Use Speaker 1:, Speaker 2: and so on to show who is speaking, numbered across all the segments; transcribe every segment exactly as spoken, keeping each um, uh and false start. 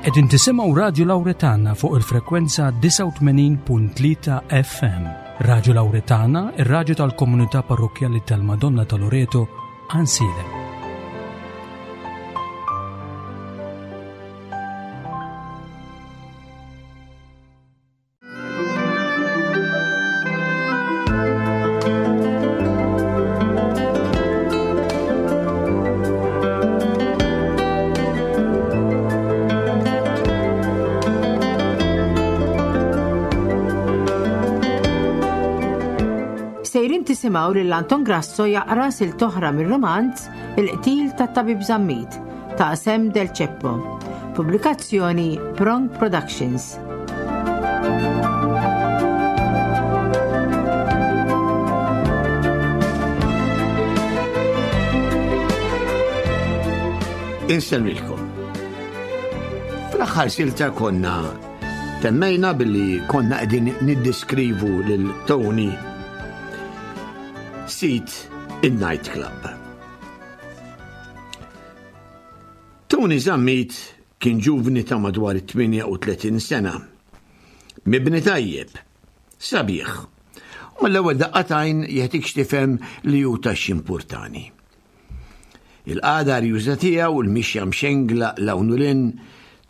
Speaker 1: Qegħdin tisimgħu Radju Lawretana fuq il-frekwenza disgħa u tmenin punt tlieta F M. Radju Lawretana, ir-radju tal-Komunità Parrokkjali tal-Madonna ta' Loreto, Għajnsielem.
Speaker 2: Sejrin tisimgħu lil Anton Grasso jaqra silta oħra mir-romanz Il-qtil tat-Tabib Zammit ta' Sam Del Ceppo. Pubblikazzjoni Prong Productions.
Speaker 3: Insellmilkom. Fl-aħħar silta konna temmejna billi konna qegħdin niddiskrivu lil Tony sid il-nightclub. Tony Zammit kien ġuvni ta' madwar tmienja u tletin sena. Mibni tajjeb, sabiħ. U mill-ewwel daqqa t'għajn jagħtik x'tifhem li hu ta' importani. Il-qagħda arjuża tiegħu u l-mixja mxengla 'l hawn u 'l hinn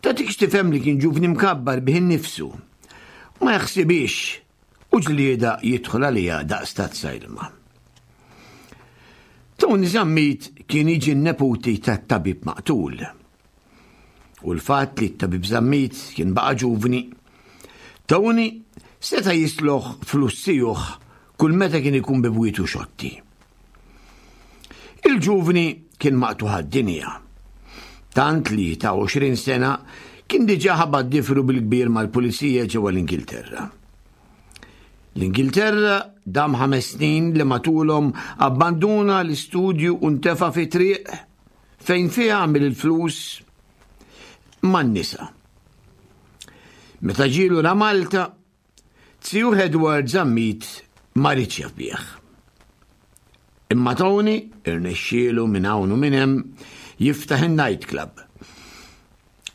Speaker 3: tagħtik x'tifhem li kien ġuvni mkabbar bih innifsu. Ma jaħsibix u ġlieda jidħol għalija daqs tazza ilma. Tony Zammit kien jiġi n-neputi tat-tabib maqtul. U l-fatt li t-tabib Zammit kien baqa ġuvni, Tony seta jisliflu flus zijuh kull meta kien ikun bi bwietu xotti. Il-ġuvni kien maqtugħ għad-dinja. Tant li ta' għoxrin sena kien diġa ħabat difru bil-kbir mal-pulizija ġewwa l-Ingilterra. L-Ingilterra dam ħames snin li matulhom abbanduna l-istudju u ntefa fi triq fejn fiha għamil il-flus man-nisa. Meta ġie lura Malta, zijuh Edward Zammit ma riedx jaf bih. Imma Tony irnexxielu minn hawn u minn hemm jiftaħ in-nightclub.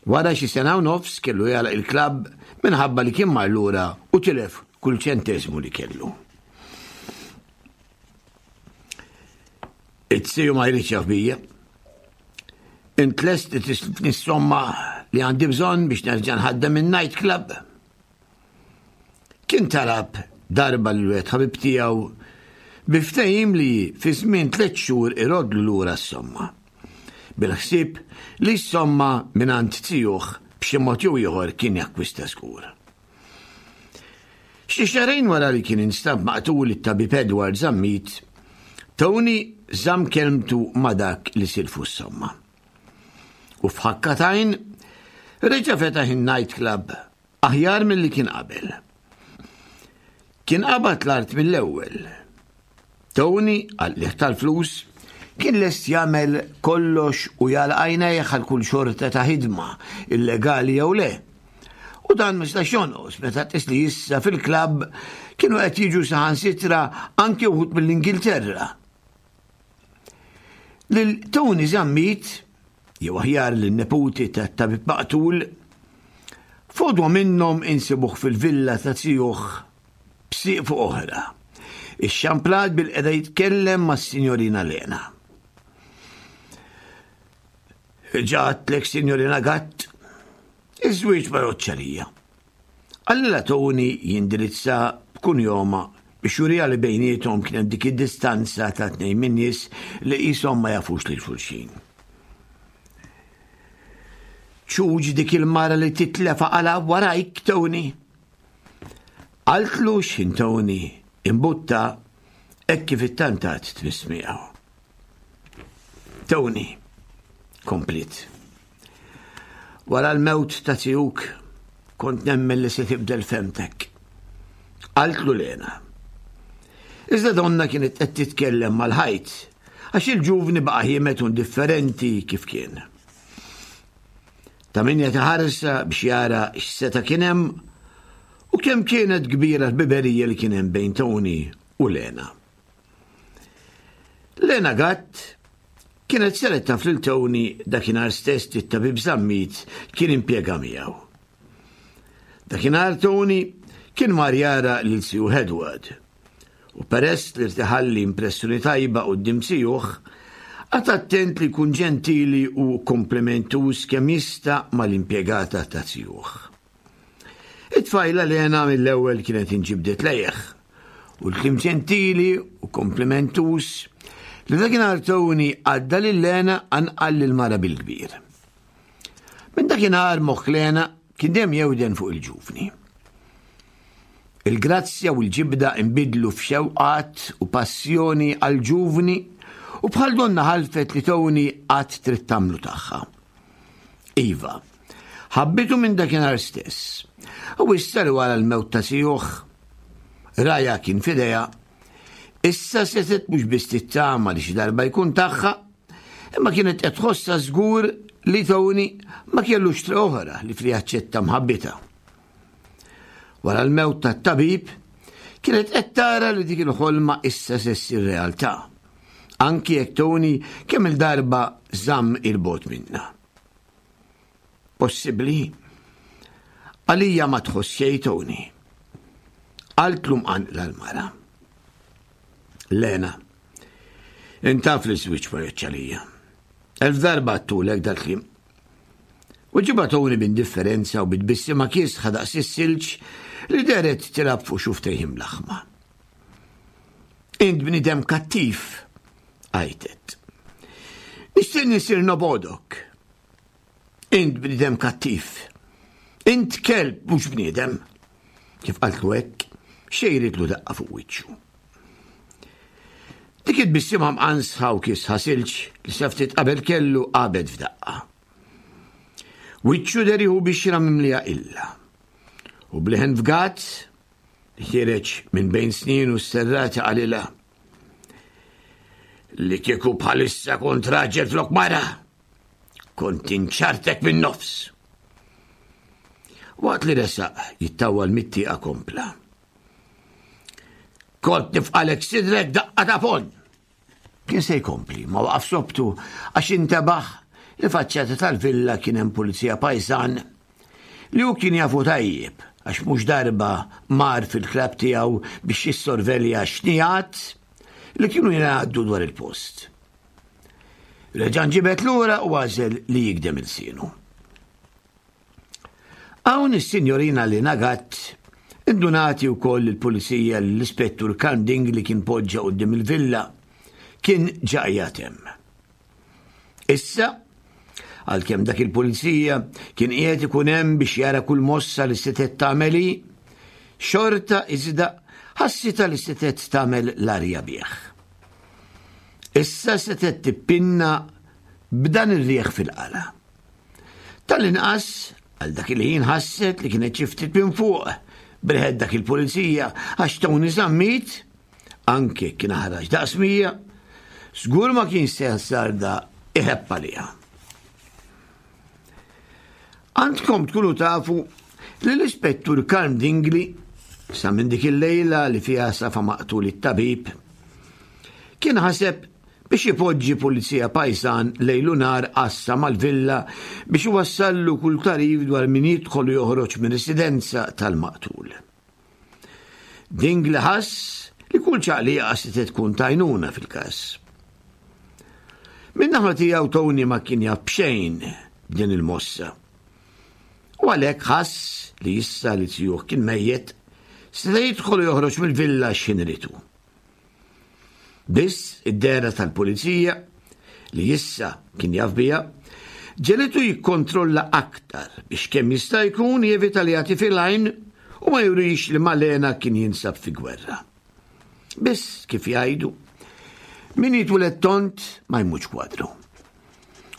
Speaker 3: Wara xi sena u nofs kellu jagħlaq il-klabb minħabba li kien mar lura u tilef kull ċentesmu li kellu. It-siju ma jridx jaf bija. Int lest li tislifni s-somma li għandi bżonn biex nerġa' nħaddem in-nightclub. Kien talab darba lil wieħed ħabib tiegħu bi ftehim li fi żmien tliet xhur irodlu lura s-somma. Bil-ħsieb li s-somma mingħand zijuh b'xi mod jew ieħor kien jakkwista żgur. Xi xahrejn wara li kien instab maqtul it-tabib Edward Zammit, Tony żamm kelmtu ma' dak li silfu s-somma. U f'ħakka t'għajn reġa' fetaħ in-nightclub aħjar milli kien qabel. Kien qabad l-art mill-ewwel. Tony għal tal-flus kien lest jagħmel kollox u jagħlaq għajnejh għal kull xorta ta' ħidma, illegali jew le. U dan ma setax jonqos meta tqis li issa fil-klabb kienu qed jiġu saħansitra anke wħud mill-Ingilterra. Lil Tony Zammit, jew aħjar lin-neputi tat-tabib maqtul, f'għodwa minnhom insibuh fil-villa ta' zijuh b'sieq fuq oħra. Ixxamplat bilqiegħda jitkellem mas-Sinjorina Lena. Ġa għedtlek, Sinjorina Gatt, iż-żwieġ ma għalija. Qalilha Tony jindirizza b'kunjoma biex jurija li bejniethom kien dik id-distanza ta' tnejn minn nies li qishom ma jafux lil xulxin. Ċuċ dik il-mara li titlef għala warajk, Tony. Qaltlu x'ħin Tony imbutta hekk kif ittantat tmiss miegħu. Tony, kompliet. Wara l-mewt ta' zijuk kont nemmen li se tibdel fehmtek. Qaltlu Lena. Iżda donna kienet qed titkellem mal-ħajt għax il-ġuvni baqa' ħiemed indifferenti kif kien. Ta' min jagħti biex jara x'seta' kien hemm u kemm kienet kbira l-ħbiberija li kien hemm bejn Tony u Lena. Lena Gatt Kienet saret taf lil Tony dakinhar stess li t-tabib Zammit kien impjega miegħu. Dakinhar Tony kien mar jara lil zijuh Edward u peress li ried iħalli impressjoni tajba quddiem zijuh, qagħad attent li jkun ġentili u komplimentuż kemm jista' mal-impjegata ta' zijuh. It-tfajla Lena mill-ewwel kienet inġibdet lejh u l-kliem ġentili u komplimentuż li dakinhar Tony għadda lil Lena qanqal lil mara bil-kbir. Minn dakinhar moħħ Lena kien dejjem jewden fuq il-ġuvni. Il-grazzja u l-ġibda imbidlu f'xewqat u passjoni għal-ġuvni u bħal donna ħalfet li Tony għad trid tagħmlu tagħha. Iva, ħabbitu minn dakinhar stess. U issa li wara l-mewt ta' zijuh, rajha kien f'idejha, issa setgħet mhux biss tittama li xi darba jkun tagħha, imma kienet qed tħossha żgur li Tony ma kellux triq oħra ħlief li jaċċetta mħabbitha. Wara l-mewt tat-tabib, kienet qed tara li dik il-ħolma issa se ssir realtà. Anki jekk Tony kemm il-darba żamm 'il bogħod minnha. Possibbli? Għalija ma tħoss xejn, Tony. Qaltlu mqanqla l-mara. "Lena, int taf li ż-żwieġ ma għalija. Elf darba għedtulek dal-kliem." Weġibha Tony b'indifferenza u bit-tbissima kiesħa daqs is-silġ li dehret tilgħab fuq xufftejh imlaħħma. "Int bniedem kattiv," għajtet. "Nixtieq nisir nobgħodok. Int bniedem kattiv. Int kelb, mhux bniedem." Kif qaltlu hekk, xejritlu daqqa fuq wiċċu. Dik it-tbissima mqansħa u kiesħa silġ li sa ftit qabel kellu għabet f'daqqa. Wiċċu deher jieħu bixra mimlija illa. U b'leħen fgat, li ħiereġ minn bejn snienu serrati, qalilha: "Li kieku bħalissa kont raġel flok mara, kont inċartek minn nofs." Waqt li resaq jittawal mit-tieqa kompla: "Kont nifqagħlek sidrek daqqa ta' ponn." Kien se jkompli, imma waqaf sobtu għax intebaħ li faċċata tal-villa kien hemm pulizija pajsan li hu kien jafu tajjeb għax mhux darba mar fil-klabb tiegħu biex jissorvelja xnijat li kienu jingħaddu dwar il-post. Reġa' nġibed lura u għażel li jigdem ilsienu. Hawn is-sinjorina Lena Gatt indunat ukoll il-pulizija l-ispettur Kanding li kien poġġa quddiem il-villa kien ġa hemm. Issa, għalkemm dak il-pulizija kien qiegħed ikun hemm biex jara kull mossa li setgħet tagħmel, xorta iżda ħassitha li setgħet tagħmel l-arja bih. Issa setgħet tippinna b'dan ir-rieħ fil-qala. Tal-inqas, għal dak il-ħin ħasset li kienet xi ftit minn fuq b'riħet dak il-pulizija, għax Tony Zammit, anke kien ħarax daqs mija, żgur ma kien se jazzarda iħebb għaliha. Għandkom tkunu tafu li l-ispettur Karm Dingli, sa minn dik il-lejla li fiha safa maqtul it-tabib, kien ħaseb biex ipoġġi pulizija pajsan lejl u nhar għassa mal-villa biex iwassallu kull tagħrif dwar min jidħol u joħroġ minn residenza tal-maqtul. Dingli ħass li kull ċaqliqa se tkun t'għajnuna fil-każ. Min-naħa tiegħu Tony ma kien jaf b'xejn b'din il-mossa. U għalhekk ħass li issa li zijuh kien mejjet, seta' jidħol u joħroġ mill-villa x'ħin ried. Biss id-dehra tal-pulizija li issa kien jaf biha ġegħlitu jikkontrolla aktar biex kemm jista' jkun jevita li jagħti fil-għajn u ma jurix li ma' Lena kien jinsab fi gwerra. Biss, kif jgħidu, min jitwieled tond ma jmutx kwadru.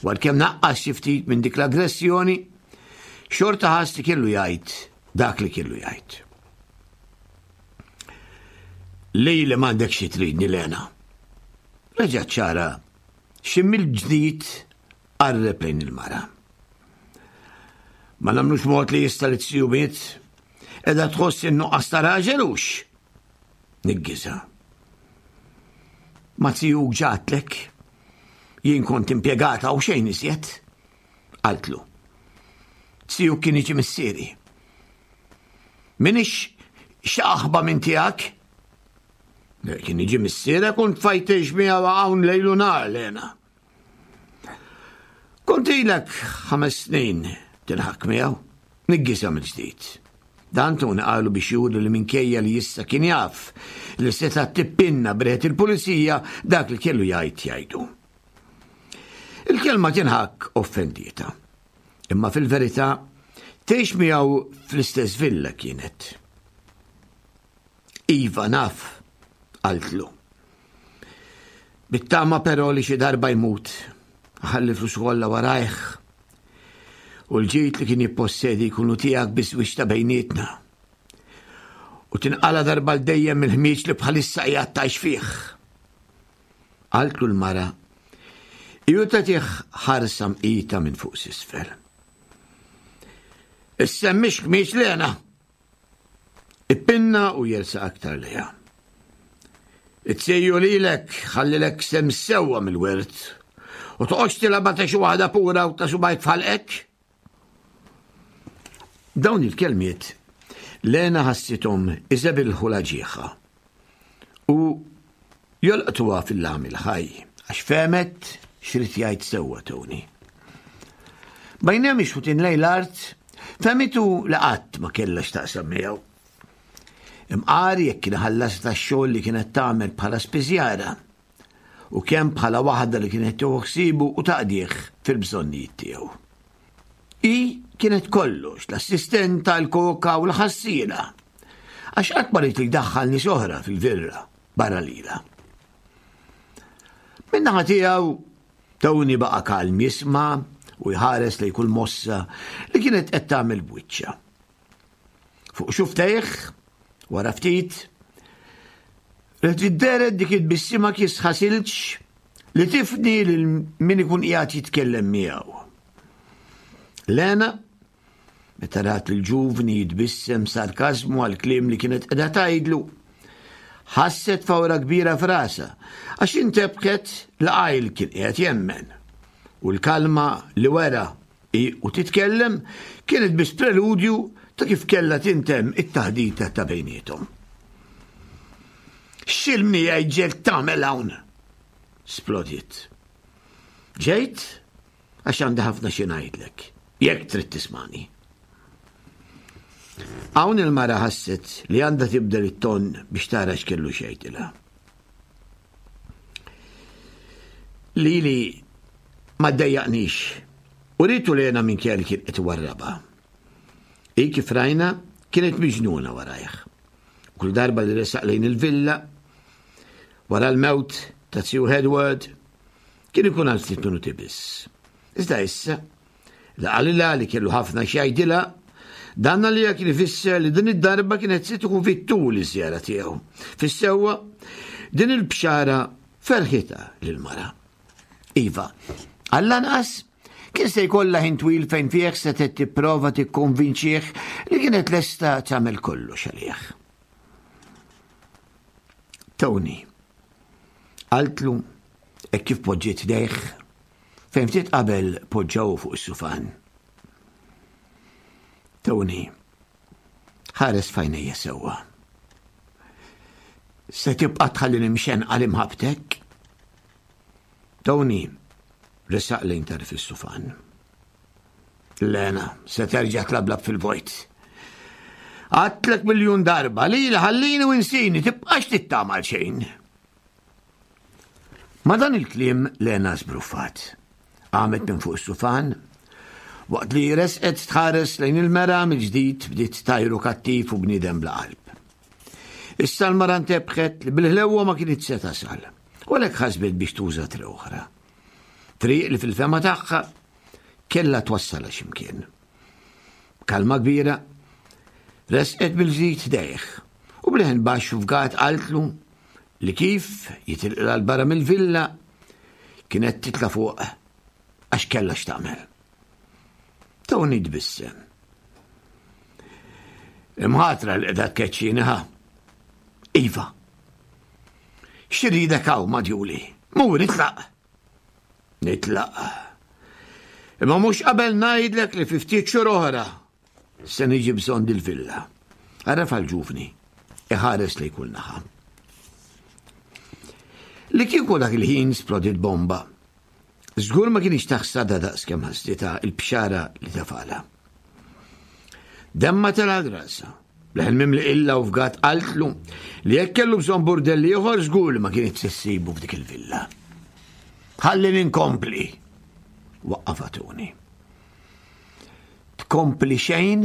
Speaker 3: Għalkemm naqqas xi ftit minn dik l-aggressjoni, xorta ħass li kellu jgħid dak li kellu jgħid. "Li li m'għandek xi tridni, Lena." Reġa' ċara xi mill-ġdid qarreb lejn il-mara. "Ma nagħmlux mod li issa li z-ziju miet, qiegħda tħoss in-nuqqas ta' raġel hux?" Niggiżha. "Ma zijuk ġa qalek. Jien kont impjegata u xejn iżjed. Qaltlu. Zijuk kien jiġi missieri. Minix xaħba minn tiegħek? Kien jiġi missierek u tfajtex miegħu hawn lejlu nhar Lena. Kont ilek ħames snin tinħak miegħu, niggisa mill-ġdid. Dan Tony qalu biex juri li minkejja li issa kien jaf li seta' tippinna breħet il-pulizija dak li kellu jgħid jgħidu. Il-kelma tinħak offendieta. Imma fil-verità tgħix miegħu fl-istess villa kienet. Iva naf, qaltlu. Bittama però li xi darba jmut, ħalli flus kollha warajh. U l-ġid li kien jippossedi jkunu tiegħek biż-żwieġ ta' bejnietna. U tinqala darba l dejjem mill-ħmieġ li bħalissa qiegħed tgħix fih. Qaltlu l-mara, ju tagħtih ħarsa mqita minn fuq s'isfel. Issemmix ħmieġ Lena. Ippinna u jersa aktar lejha. It-sejju lilek ħallilek sem sewwa mill-wirt u toqgħodx tilgħabha ta' xi waħda pura u ta' subajk f'ħalqek. Dawn il-kelmiet Lena ħassithom iżebilħu l-ġieħa u jolqtuha fil-lam il-ħaj għax fehmet x'rid jgħid sewwa Tony. Bajnejha mixħutin lejn l-art, fehmitu li qatt ma kellha x'taqsam miegħu. Imqar jekk kien ħallas tax-xogħol li kienet tagħmel bħala spiżjara u kemm bħala waħda li kienet tieħu ħsiebu u taqdih fil-bżonnijiet tiegħu. Hi kienet kollox, l-assistenta, l-koka u l-ħassiela, għax qatt ma ried li jdaħħal nies oħra fil-virra barra lilha. Min-naħa tiegħu Tony baqa' kalm jisma' u jħares lejn kull mossa li kienet qed tagħmel b'wiċċha. Fuq xuftejh, wara ftit, reġgħet dehret dik it-tbissima kiesħa silġ li tifni lil min ikun qiegħed jitkellem miegħu. Lena, meta rat il-ġuvni jitbissem sarkażmu għal kliem li kienet qiegħda tgħidlu, ħasset fawra kbira f'rasha għax intebħet li qajl kien qiegħed jemmen. U l-kalma li wera hi u titkellem kienet biss preludju ta' kif kellha tintemm it-taħdita ta' bejniethom. X'ilmni ġejt tagħmel hawn? Splodiet. Ġejt għax għandi ħafna xi ngħidlek, jekk trid tismani. Hawn il-mara ħasset li għandha tibdel it-ton biex tara x'kellu xejtilha. Lili ma ddejjaqnix u rritu Lena minn kelli kien qed warraba. Hi kif rajna kienet miġnuna warajh. Kull darba li resaq lejn il-villa, wara l-mewt ta' Sir Edward, kien ikun għal ftit minuti biss. Iżda issa, li qalilha li kellu ħafna x'jgħidilha, dan għalija kien ifisser li din id-darba kienet se tkun fit-tul iż-żjara tiegħu. Fis-sewwa, din il-bxara ferħitha lill-mara. Iva, għall-anqas kien se jkollha ħin twil fejn fih setgħet tipprova tikkonvinċih li kienet lesta tagħmel kollox għalih. Tony, qaltlu hekk kif poġġiet idejh fejn ftit qabel poġġaw fuq is-sufan. Tony, ħares f'għajnejja sewwa. Se tibqa' tħallini mxenqa li mħabbtek? Tony resaq lejn tarf is-sufan. Lena, se terġa' tlablab fil-vojt. Għadtlek miljun darba li ħallini u insini tibqax tittamal xejn. Ma dan il-kliem Lena żbruffat. Qamet minn fuq is-sufan, waqt li resqet tħares lejn il-mera mill-ġdid bdiet tajru kattiv u bniedem bla qalb. Issa l-mara ntebħet li bil-ħlewwa ma kienet se tasal, u għalhekk ħasbet biex tuża triq oħra. Triq li fil-fema tagħha kellha twassalha x'imkien. Kalma kbira, resqet bil-ġdid dejh u bleħen baxx u fgat qaltlu li kif jitilqilha l-barra mill-villa kienet titla' fuq għax kellha x'tagħmel. Tony tbissem. Imħatra li qiegħda tkeċċini ħa. Iva. X'irridek hawn madjuli? Mur itlaq. Nitlaq. Imma mhux qabel ngħidlek li fi ftit xhur oħra se niġi bżonn dil-villa. Għaraf għal-ġuvni, iħares li kull naħa. Li kieku dak il-ħin splodit bomba. Żgur ma kienx taħsada daqs kemm ħasdita il-bxara li tafala. Demma tela grasa. Leħen mimli illa u fgat qaltlu li jekk kellu bżonn burdelli ieħor żgur li ma kienet se ssibu f'dik il-villa. Ħalli ninkompli. Waqqafatuni. Tkompli xejn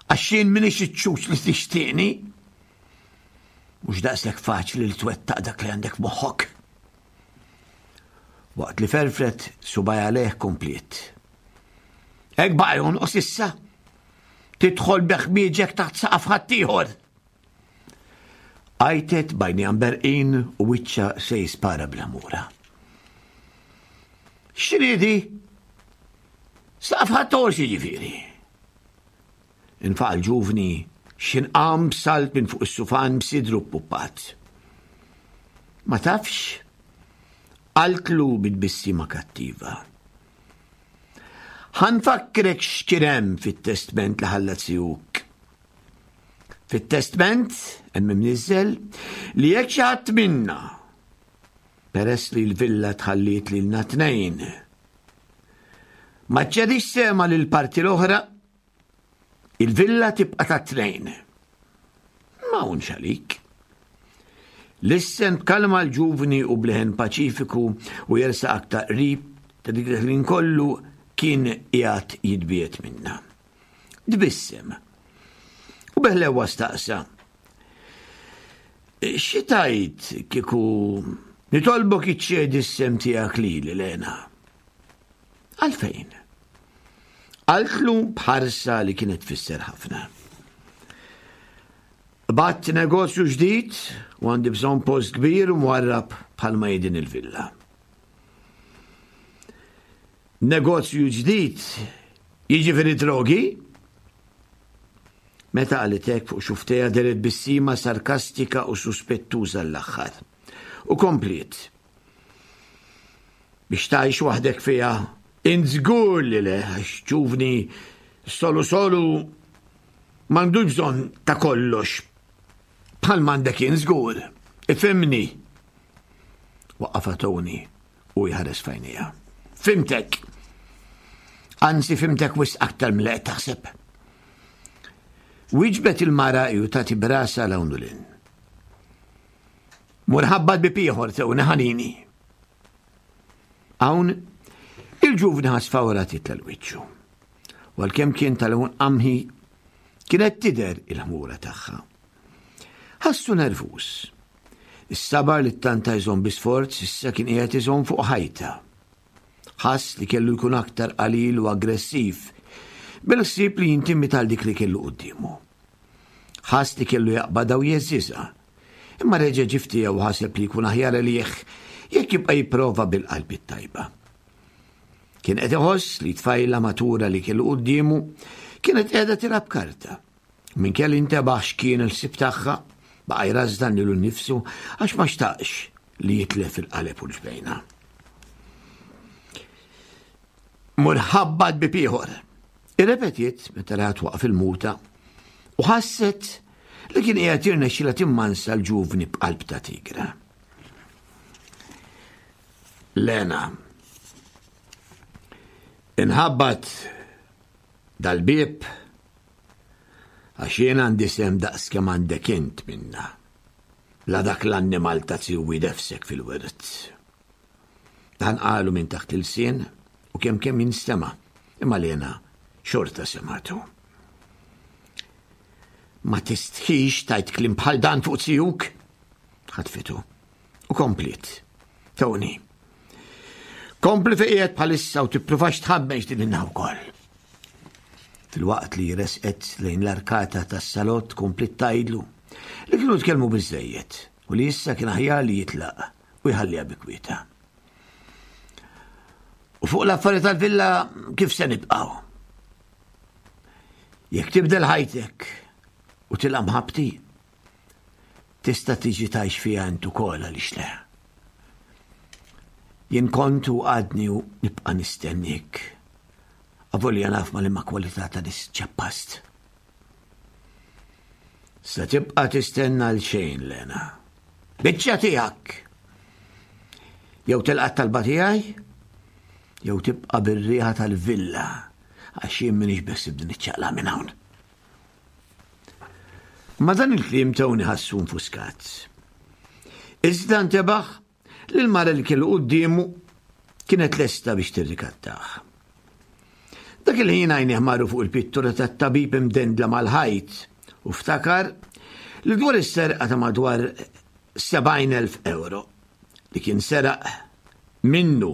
Speaker 3: għax jien minix iċ-ċuċ li tixtieqni. Mhux daqshekk faċli li twettaq dak li għandek moħħok. Waqt li ferfret subaj għalih kompliet. Hekk baqa' jonqos issa. Tidħol beħmieġek taħt saqaf ħaddieħor. Għajtet bajni għamberqin u wiċċa se jispara bl-amura. X'ridi? Saqaf ħaddieħor x'jiġifieri. Infaq l-ġuvni x'inqam b'salt minn fuq is-sufan b'sidru ppuppat. Ma tafx? Qaltlu bit-tbissima kattiva. Ħa nfakkrek x'kien hemm fit-testment li ħallat sijuk. Fit-testment hemm imniżżel li jekk xi ħadd minna peress li l-villa tħalliet lilna tnejn. Ma ċedix sema lil parti l-oħra, il-villa tibqa' ta' tnejn. Ma hawnx għalik. Lissen b'kalma l-ġuvni u bleħen paċifiku u jersaq aktar qrib ta' dik il-ħin kollu kien qiegħed jitbiet minna. Tbissem. U beħlewa staqsa. Xi tajt kieku nitolbok iċċedi s-sem tiegħek lili Lena? Għalfejn? Qaltlu b'ħarsa li kienet tfisser ħafna. Bat negozju ġdid u għandi bżonn post kbir u mwarrab bħalma hi din il-villa. Negozju ġdid jiġifieri drogi? Meta qalitek fuq xuftejha deret bissima sarkastika u suspettuża l-aħħar. U kompliet. Biex tgħix waħdek fiha, int żgur li le, għax ġuvni solu solu m'għandux bżonn ta' kollox. Bħal m'għandek jien żgur. Ifhimni. Waqqafha Tony u jħares f'għajnejha. Fimtek. Anzi fimtek wisq aktar milli qed taħseb. Wieġbet il-mara ju tati brasa 'l hawn u 'l hinn. Mur ħabbat bieb ieħor Tony ħanini. Hawn il-ġuvni ħass fawra titla' 'l wiċċu. Għalkemm kien tal-lewn qamħi, kienet tidher il-ħmura tagħha. Ħassu nervus. Is-sabar li ttanta jżomm bi sforz issa kien qiegħed iżomm fuq ħajta. Ħass li kellu jkun aktar qalil u aggressiv bil-ħsieb li jintimida dik li kellu quddiemu. Ħass li kellu jaqbadha u jeżżiżha. Imma reġa' ġie u ħaseb li jkun aħjar għalih jekk jibqa' jipprova bil-qalb it-tajba. Kien qed iħoss li tfajla matura li kellu quddiemu kienet qiegħda tilgħab karta. Minn kelli intebaħ x'kien il-ħsieb tagħha, baqa' jrażdan lilu nnifsu għax ma xtaqx li jitlef il-qaleb u l-ġbejna. Mur ħabbat bieb ieħor. Irrepetiet meta raha waqaf il-muta u ħasset li kien qiegħed jirnexxilha timmansa l-ġuvni b'qalb ta' tigra. Lena, inħabbat dal-bieb għax jien għandi sem daqs kemm għandek int minna. La dak l-annimal ta' ziwi defsek fil-wirt. Dan qalu minn taħt il-sien u kemm kemm jinstema' imma Lena xorta sematu. Ma tistħix tajt kliem bħal dan fuq zijuk? Ħatfitu. U kompliet. Tony. Kompli fejn qiegħed bħalissa u tippruvax tħammeġ din in-naħa wkoll. Filwaqt li resqet lejn l-arkata tas-salott kompliet tgħidlu li kienu tkellmu biżejjed u li issa kien aħjar li jitlaq u jħalliha bi kwieta. U fuq l-affarijiet tal-villa kif se nibqgħu? Jekk tibdel ħajtek u tilqa' mħabbti, tista' tiġi tgħix fiha int ukoll għaliex le. Jien kont u għadni u nibqa' nistennik. Avolja naf ma' liema kwalità ta' nies ċappast. Sa tibqa' tistenna għal xejn, Lena. Biċċa tiegħek. Jew tilqa' talba tiegħi, jew tibqa' bir-riħa tal-villa għax jien m'iniex beħsiebni niċċaqlaq minn hawn. Ma' dan il-kliem Tony ħassu nfuskat. Iżda ntebaħ li l-mara li kellu quddiemu kienet lesta biex tirrikattah. Dak il-ħin għajnejh marru fuq il-pittura tat-tabib imdendla mal-ħajt u ftakar li dwar is-serqa ta' madwar sebgħin elf euro li kien seraq minnu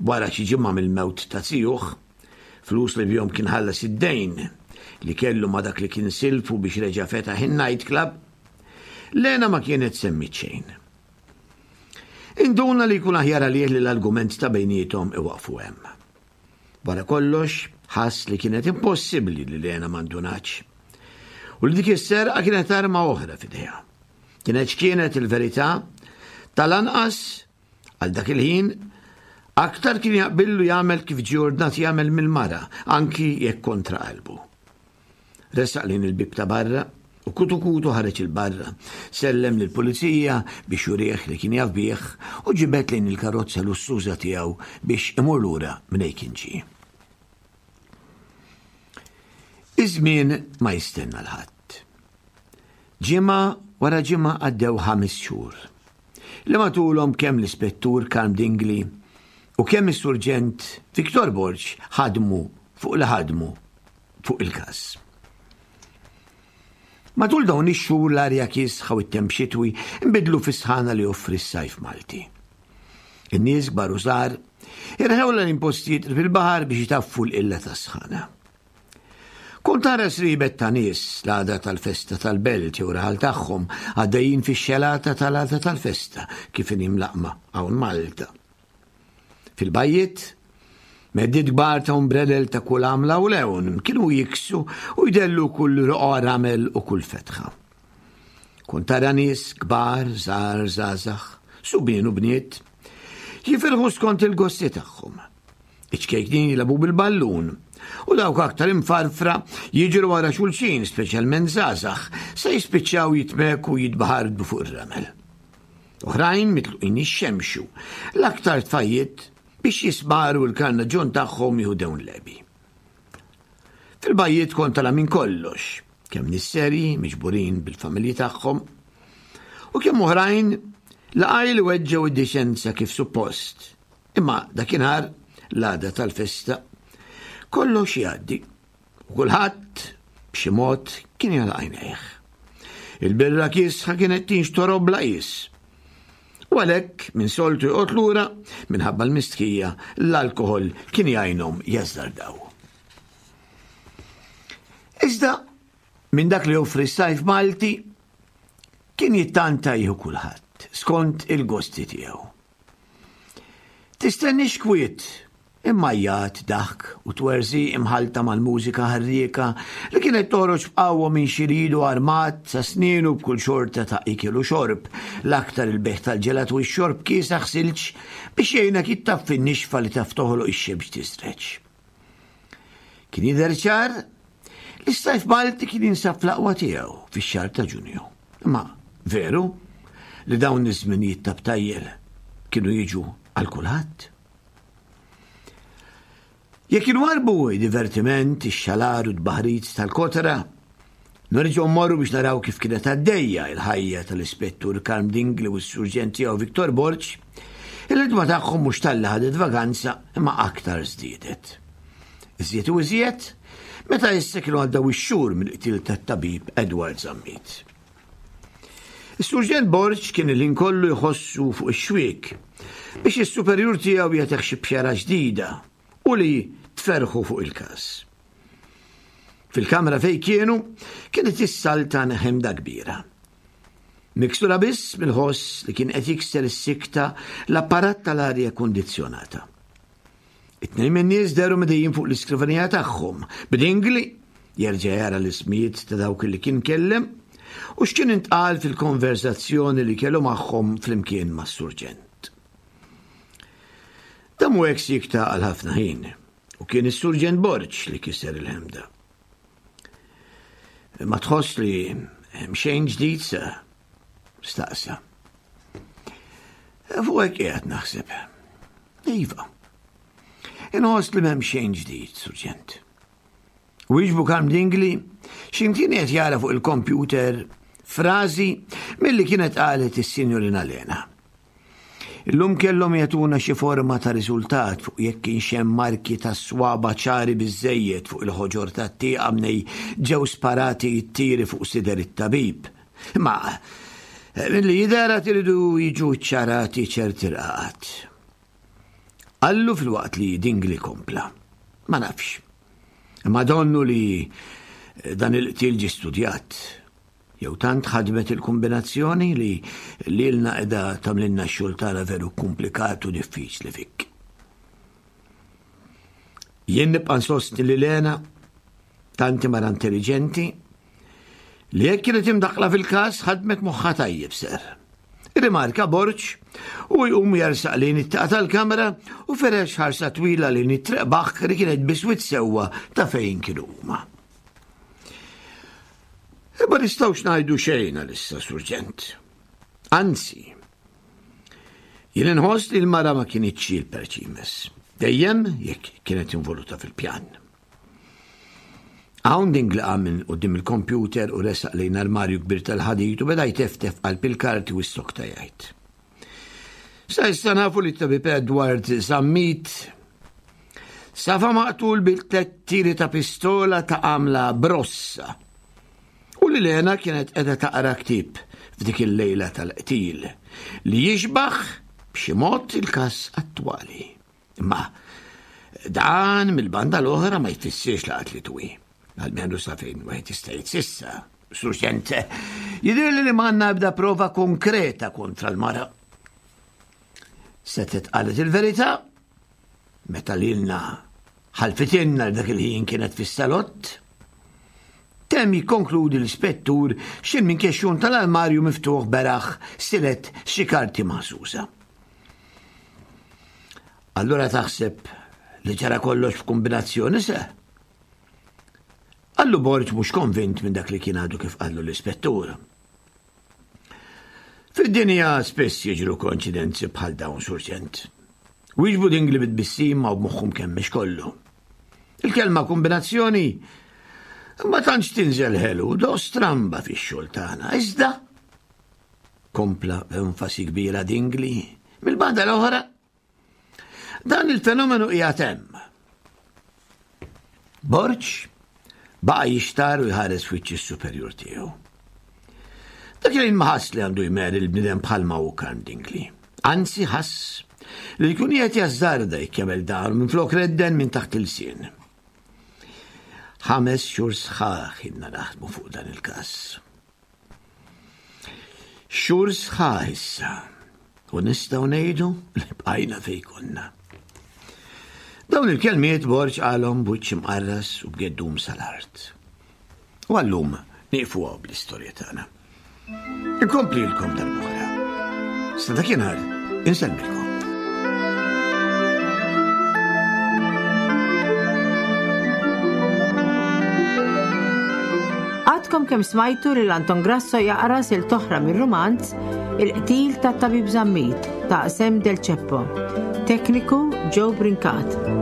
Speaker 3: wara xi ġimgħa mill-mewt ta' zijuh, flus li bihom kien ħallas id-dejn li kellu ma' dak li kien silfu biex reġa' fetaħ in-night club, Lena ma kienet semmit xejn. Induna li jkun aħjar għalih li l-argument ta' bejniethom iwaqfu hemm. Wara kollox, ħass li kienet impossibbli li Lena ma ndunatx. U li dik is-serqa kienet arma oħra f'idejha. Kienet x'kienet il-verità, tal-anqas għal dak il-ħin aktar kien jaqbillu jagħmel kif ġie ordnat jagħmel mill-mara, anki jekk kontra qalbu. Resaq lejn il-bib ta' barra u kutu kutu ħareġ il-barra, sellem lill-pulizija biex jurih li kien jaf bih u ġibed lejn il-karozza lussuża tiegħu biex imur lura minn kien ġie. Iż-żmien ma jistenna l-ħadd. Ġimgħa wara ġimgħa għaddew ħames xhur li matulhom kemm l-ispettur Karm Dingli u kemm is-surġent Victor Borg ħadmu fuq li ħadmu fuq il-każ. Matul dawn ix-xhur l-arja kiesħa u t-temp xitwi nbidlu fis-sħana li joffri s-sajf Malti. In-nies kbar u żgħar irħewla l-impostijiet fil-baħar biex jitaffu l-qilla tas-sħana. Kont tara sribet ta' nies l-għada tal-festa tal-belt jew raħal tagħhom għaddejjin fix-xelata tal-għada tal-festa kif inhi mlaqma hawn Malta. Fil-bajjiet, meddid kbar ta' umbrellel ta' kull għamla u lewn kienu jiksu u jdellu kull roqgħa ramel u kull fetħa. Kont tara nies kbar, żgħar, żgħażagħ, subien u bniet, jifirħu skont il-gosti tagħhom. Iċ-ċkejknin jilagħbu bil-ballun u dawk aktar imfarfra jiġru wara xulxin, speċjalment żgħażagħ, se jispiċċaw jitmeku jitbaħardu fuq ir-ramel. Oħrajn mitluqin jixxemxu, l-aktar tfajjiet biex jismaru l-karnaġġon tagħhom jieħu dewn lebi. Fil-bajjiet kont tara minn kollox, kemm nies serji miġburin bil-familji tagħhom u kemm oħrajn laqaj li weġġew id-diċenza kif suppost. Imma dakinhar l-għada tal-festa kollox jgħaddi u kulħadd b'xi mod kien jagħlaq għajnejh. Il-birra kiesħa kienet tinxtorob bla qies. U għalhekk minn soltu joqgħod lura minħabba l-mistħija l-alkoħol kien jgħinhom jażżardaw. Iżda minn dak li joffri s-sajf Malti kien jittanta jieħu kulħadd skont il-gosti tiegħu. Tistennix kwiet imma jgħat daħk u twerżi imħalta mal-mużika ħarrieka li kienet toħroġ b'qawwa minn xi ridu armat sa snienu b'kull xorta ta' ikel u xorb, l-aktar il-beħ tal-ġelat u x-xorb kiesaħ silġ biex jgħinek jittaffi n-nixfa li taf toħloq ix-xemx tisreġ. Kien jidher ċar li s-sajf Malti kien jinsab fl-aqwa tiegħu fix-xahar ta' Ġunju. Imma veru li dawn iż-żminijiet ta' btajjel kienu jiġu għal kulħadd. Jekk inwarbu divertiment, ix-xalar u d-baħrit tal-kotra, nerġgħu mmorru biex naraw kif kienet għaddejja il-ħajja tal-ispettur Karm Dingli u s-surġent tiegħu Victor Borg, il-ħidma tagħhom mhux talli ħadet vaganza imma aktar żdiedet. Iżjed u iżjed meta issa kienu għaddew ix-xhur mill-qtil tat-tabib Edward Zammit. Is-surġent Borg kien il-ħin kollu jħossu fuq ix-xwiek biex is-superjur tiegħu jagħtih xi bxara ġdida u li tferħu fuq il-każ. Fil-kamra fejn kienu kienet issaltan ħemda kbira. Miksura biss mill-ħoss li kien qed jikser is-sikta l-apparat tal-arja kondizzjonata. It-tnejn min-nies dehru medejjin fuq l-iskrivanija tagħhom, b'Dingli jerġa' jara l-ismijiet ta' dawk li kien kellem u x'kien intqal fil-konverzazzjoni li kellu magħhom flimkien mas-surġent. Damu hekk sikta għal ħafna ħin u kien is-Surġent Borg li kisser il-ħemda. Ma tħoss li hemm xejn ġdid sa? Staqsa. Fuq hekk qiegħed naħseb. Iva. Inħoss li m'hemm xejn ġdid, Surġent. Wieġbu Karm Dingli x'imkien qed jara fuq il-kompjuter frażi milli kienet qalet is-Sinjorina Lena. Illum kellhom jagħtuna xi forma ta' riżultat fuq jekk kienx hemm marki ta' swaba ċari biżejjed fuq il-ħoġor tat-tieqa mnej ġew sparati t-tiri fuq sider it-tabib. Ma milli jidher għad iridu jiġu ċċarati ċerti rqaqat. Qallu filwaqt li Dingli kompla. Ma nafx. Imma donnu li dan il-qtil ġie studjat. Jew tant ħadmet il-kombinazzjoni li lilna qiegħda tagħmlilna x-xogħol tagħna veru komplikat u diffiċli fik. Jien nibqa' nsostni li Lena tanti mara intelligenti li jekk kienet imdaħħla fil-każ ħadmet moħħha tajjeb ser. Rimarka Borg u jqum jersaq lejn it-tieqa tal-kamra u ferex ħarsa twila lejn it-triq baħk li kienet biswit sewwa ta' fejn kienu huma. Imma nistgħux ngħidu xejn għalissa, Surġent. Anzi, jien inħoss li l-mara ma kinitx il-perċimes. Dejjem jekk kienet involuta fil-pjan. Hawn Dingli qam minn quddiem il-kompjuter u resaq lejn armarju kbir tal-ħadid u beda jteftef qalb il-karti u s-sokta jgħid. Sa issa nafu li t-tabib Edward Zammit safa maqtul bil-tliet tiri ta' pistola ta' għamla brossa u li Lena kienet qiegħda taqra ktieb f'dik il-lejla tal-qtil li jixbaħ b'xi mod il-każ attwali. Imma dan mill-banda l-oħra ma jfissirx li qatlitu hi. Almenu sa fejn wieħed jista' jgħid s'issa. Surġent, jidhirli li m'għandna ebda prova konkreta kontra l-mara. Setgħet qalet il-verità meta lilna ħalfitilna li dak il-ħin kienet fis-salott. Temm jikkonkludi l-ispettur x'ħin minn kexxun tal-armarju miftuħ beraħ silet xi karti maħsusa. Allura taħseb li ġara kollox f'kombinazzjoni se? Qallu Borg mhux konvint minn dak li kien għadu kif qallu l-ispettur. Fid-dinja spiss jiġru koinċidenzi bħal dawn, Surġent. Wieġbu Dingli bit-tbissima u b'moħħu mkemmex kollu. Il-kelma kombinazzjoni ma tantx tinżel ħelu, do stramba fix-xogħol tagħna. Iżda, kompla b'enfasi kbira Dingli, mill-banda l-oħra, dan il-fenomenu qiegħed hemm. Borg baqa' jixtar u jħares f'wiċċ is-superjur tiegħu. Dak il-ħin ma ħass li għandu jmeri l-bniedem bħalma hu Karm Dingli. Anzi ħass li jkun qiegħed jażżarda jekk jagħmel dan minflok redden minn taħt il-sien. Ħames xhur sħaħ ilna naħdmu fuq dan il-każ. Xhur sħaħ issa u nistgħu ngħidu li bqajna fejn konna. Dawn il-kelmiet Borg qalhom b'wiċċ imqarras u b'geddum sal-art. U għallum nieqfu hawn bl-istorja tagħna. Inkomplilkom darb'oħra. Sa dakinhar insellmilkom.
Speaker 2: Għadkom kemm smajtu lil Anton Grasso jaqra sil toħra mir-rumanz Il-qtil tat-tabib Zammit ta' Sam Del Ceppo. Tekniku Joe Brincat.